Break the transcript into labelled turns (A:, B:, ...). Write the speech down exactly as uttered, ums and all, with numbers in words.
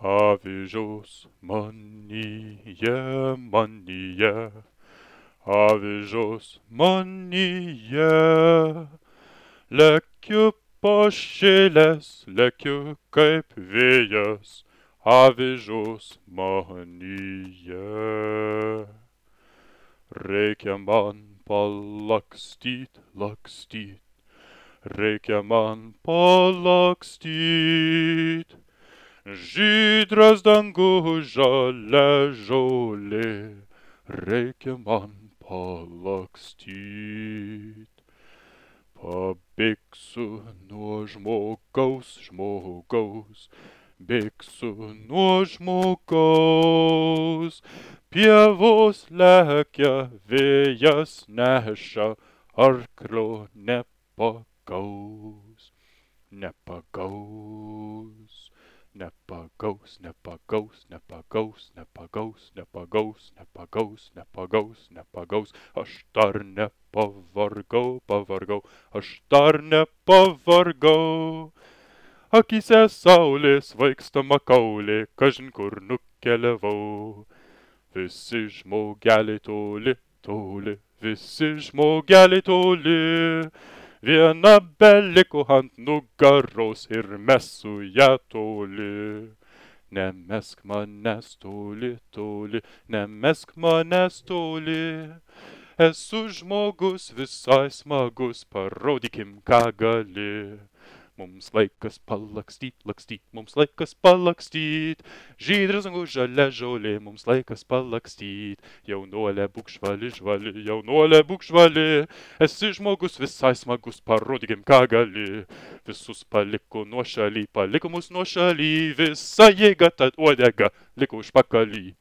A: Avižos manyje, manyje, avižos manyje. Lekiu pašėlęs, lekiu kaip vėjas, avižos manyje. Reikia man palakstyt, lakstyt, reikia man palakstyt. Žydras dangus, žalia žolė, reikia man palakstyt. Pabėgsiu nuo žmogaus, žmogaus, bėgsiu nuo žmogaus. Pievos lekia, vėjas neša, arklio nepagaus, nepagaus. Nepagaus, nepagaus, nepagaus, nepagaus, nepagaus, nepagaus, nepagaus, nepagaus. Aš dar nepavargau, pavargau, aš dar nepavargau. Akyse saulės vaikstama kaulė, kažin kur nukeliavau. Visi žmogeliai toli, toli, visi žmogeliai toli. Viena beliko ant nugaros ir mesu ją toli. Nemesk manęs toli, toli, nemesk manęs toli. Esu žmogus visai smagus, parodykim, ką gali. Mums laikas palakstyt, lakstyt, mums laikas palakstyt. Žydras dangus, žalia žolė, mums laikas palakstyt. Jaunuolė būk žvali, žvali, jaunuolė būk žvali. Esi žmogus visai smagus, parodykim, ką gali. Visus paliko nuošaly, paliko mus nuošaly. Visa jėga tad uodega liko užpakaly.